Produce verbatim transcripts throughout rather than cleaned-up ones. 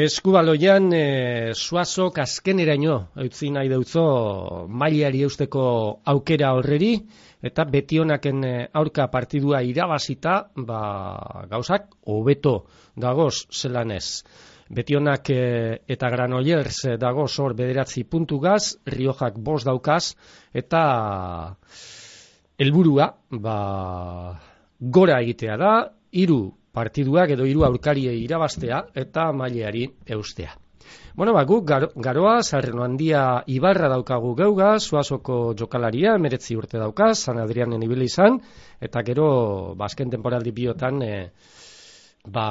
Eskubaloian e, Suazok azkeneraino eutzi nahi deutzo mailari eusteko aukera horreri, eta Betionaken aurka partidua irabazita, ba, gauzak hobeto dagoz zelan ez. Betionak e, eta Granollers dagoz hor bederatzi puntugaz, Riojak bost daukaz, eta helburua ba, gora egitea da, hiru partiduak edo hiru aurkariei irabaztea eta maileari eustea. Bueno, ba, guk garo, garoa, Sarreno Handia Ibarra daukagu geuga, Suazoko jokalaria, meretzi urte daukaz, San Adrianen ibili izan, eta gero, ba, azken temporaldi biotan, e, ba,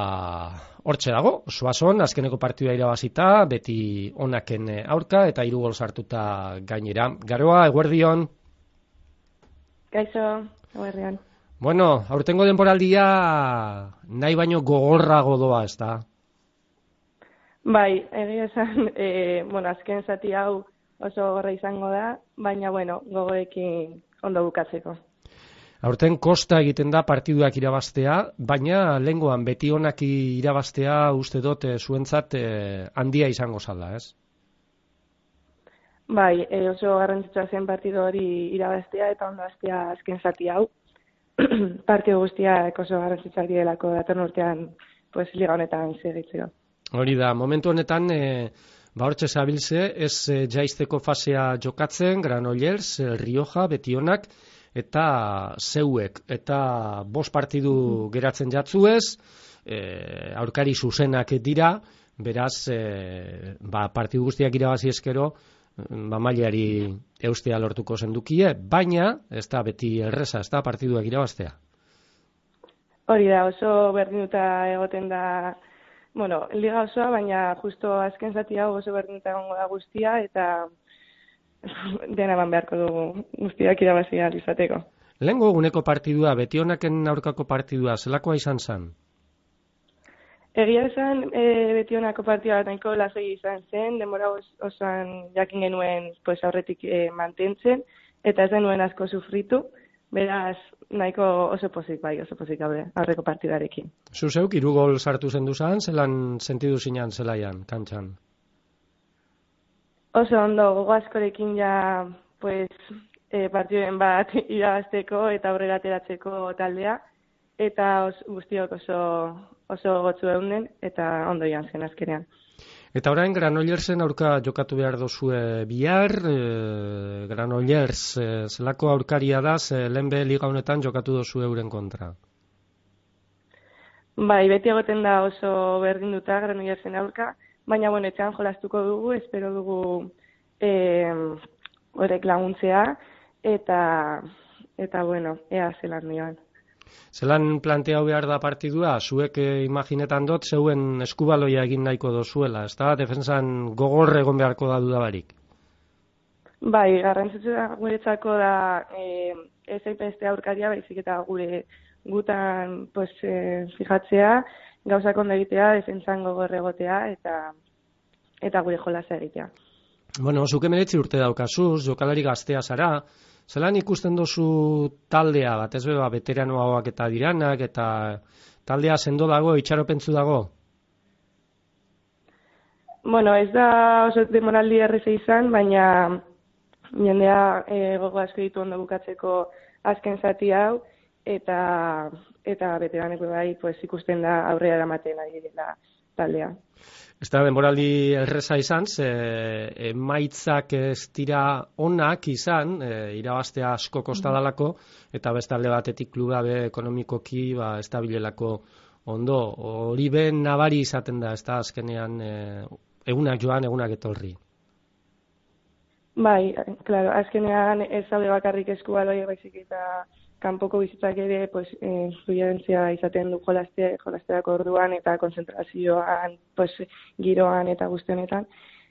hortxe dago, Suazon, azkeneko partidua irabazita, beti onaken aurka, eta hiru gol sartuta gainera. Garoa, eguerdion? Gaixo, eguerdion. Bueno, aurtengo denboraldia nahi baino gogorrago doa, ez da? Bai, egia esan, e, bueno, azken zati hau oso gogorra izango da, baina, bueno, gogorekin ondo bukatzeko. Aurten kosta egiten da partiduak irabaztea, baina lehengoan Betionak irabaztea uste dut e, zuentzat e, handia izango zala, ez? Bai, e, oso garrantzitsua zen partidu hori irabaztea eta ondo hastea azken zati hau. Partidu guztiak oso garrantzitsuak direlako datorren urtean pues, liga honetan segitzeko. Hori da, momentu honetan, e, ba hortxe zabiltze, ez e, jaisteko fasea jokatzen, Granollers, e, Rioja, Betionak, eta zeuek, eta bost partidu geratzen jatzuez, e, aurkari zuzenak dira, beraz, e, ba, partidu guztiak irabazi eskero, ba, mailari eustea lortuko zendukie, baina ez da beti erreza, ez da partiduak irabaztea. Hori da, oso berdinuta egoten da, bueno, liga osoa, baina justo azken zati hau oso berdinuta egongo da guztia, eta dena eman beharko dugu guztiak irabazi ahal izateko. Lehengo eguneko partidua, Betionaken aurkako partidua, zelakoa izan zen? Egia esan, e, Betionako partida bat nahiko lasai izan zen, denbora os, osoan jakin genuen pues, aurretik e, mantentzen, eta ez denuen asko sufritu, beraz nahiko oso pozik bai, oso pozik aurre, aurreko partidarekin. Zuzeuk, hiru gol sartu zen duzan, zelan sentidu zinan zelaian, kantxan? Oso ondo, gogo askorekin ja, pues, e, partiduen bat irabazteko eta aurrera ateratzeko taldea, eta os, guztiok oso, oso gotzu eunden, eta ondo joan zen azkenean. Eta orain Granollersen aurka jokatu behar dozue bihar, e, Granollers e, zelako aurkaria da, ze lehenbe liga honetan jokatu dozue euren kontra? Bai, beti egoten da oso berdinduta Granollersen aurka, baina bueno, etxean jolastuko dugu, espero dugu e, horrek laguntzea, eta, eta bueno, ea zelan nioan. Zelan planteau behar da partidua, zuek eh, imaginetan dut, zeuen eskubaloia egin nahiko dozuela, ez da? Defensan gogor egon beharko da dudabarik. Bai, garrantzitsua guretzako da e, ez aipeste aurkaria, baizik eta gure gutan pues, e, fijatzea, gauzak ondo egitea, defensan gogor egotea, eta, eta gure jolasa egitea. Bueno, zuke meretzi urte daukazuz, jokalari gaztea zara, zelan ikusten dozu taldea, bat ez beba, veteranoagoak eta diranak, eta taldea sendo dago, itxaropentzu dago? Bueno, ez da oso demoraldi erreza izan, baina jendea e, gogo asko ditu ondo bukatzeko azken zati hau, eta, eta veteraneko bai pues, ikusten da aurrera eramaten ari dela taldea. Ez da, denboraldi erreza izan, ze emaitzak ez dira onak izan, e, irabaztea asko kostadalako, eta beste alde batetik kluba be ekonomikoki ba, ez da bilelako ondo. Hori ben nabari izaten da, ez da azkenean e, egunak joan, egunak etorri. Bai, claro, azkenean ez zaude bakarrik eskubaloi baizik eta kanpoko bizitzak ere pues, eh, influentzia izaten du jolaste, jolasteako orduan eta konzentrazioan, pues, giroan eta guztionetan.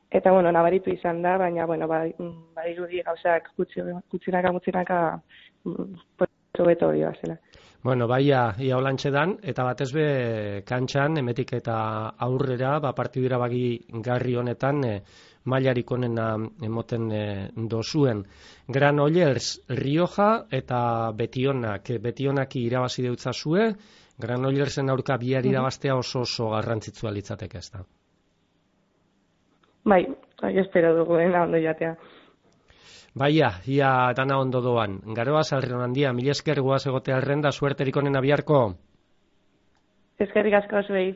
Eta, bueno, nabaritu izan da, baina, bueno, bai, bai irudi gauzak gutxinaka, gutxinaka, pues, hobeto hori bazela. Bueno, bai, ia, ia holantxe dan, eta batez be kantxan, emetik eta aurrera, ba, partidura bagi garri honetan, e, mailarik onena emoten e, dozuen. Granollers, Rioja eta Betionak. Betionaki irabazi deutzazue, Granollersen aurka bihar irabaztea oso oso garrantzitsua litzateke, ez da? Bai, bai, espero dugu dena ondo jatea. Baia, ia dana ondo doan. Garoa Sarrion handia, mila esker guaz egotea arrenda, suerterik onena biharko. Eskerrik asko zuei.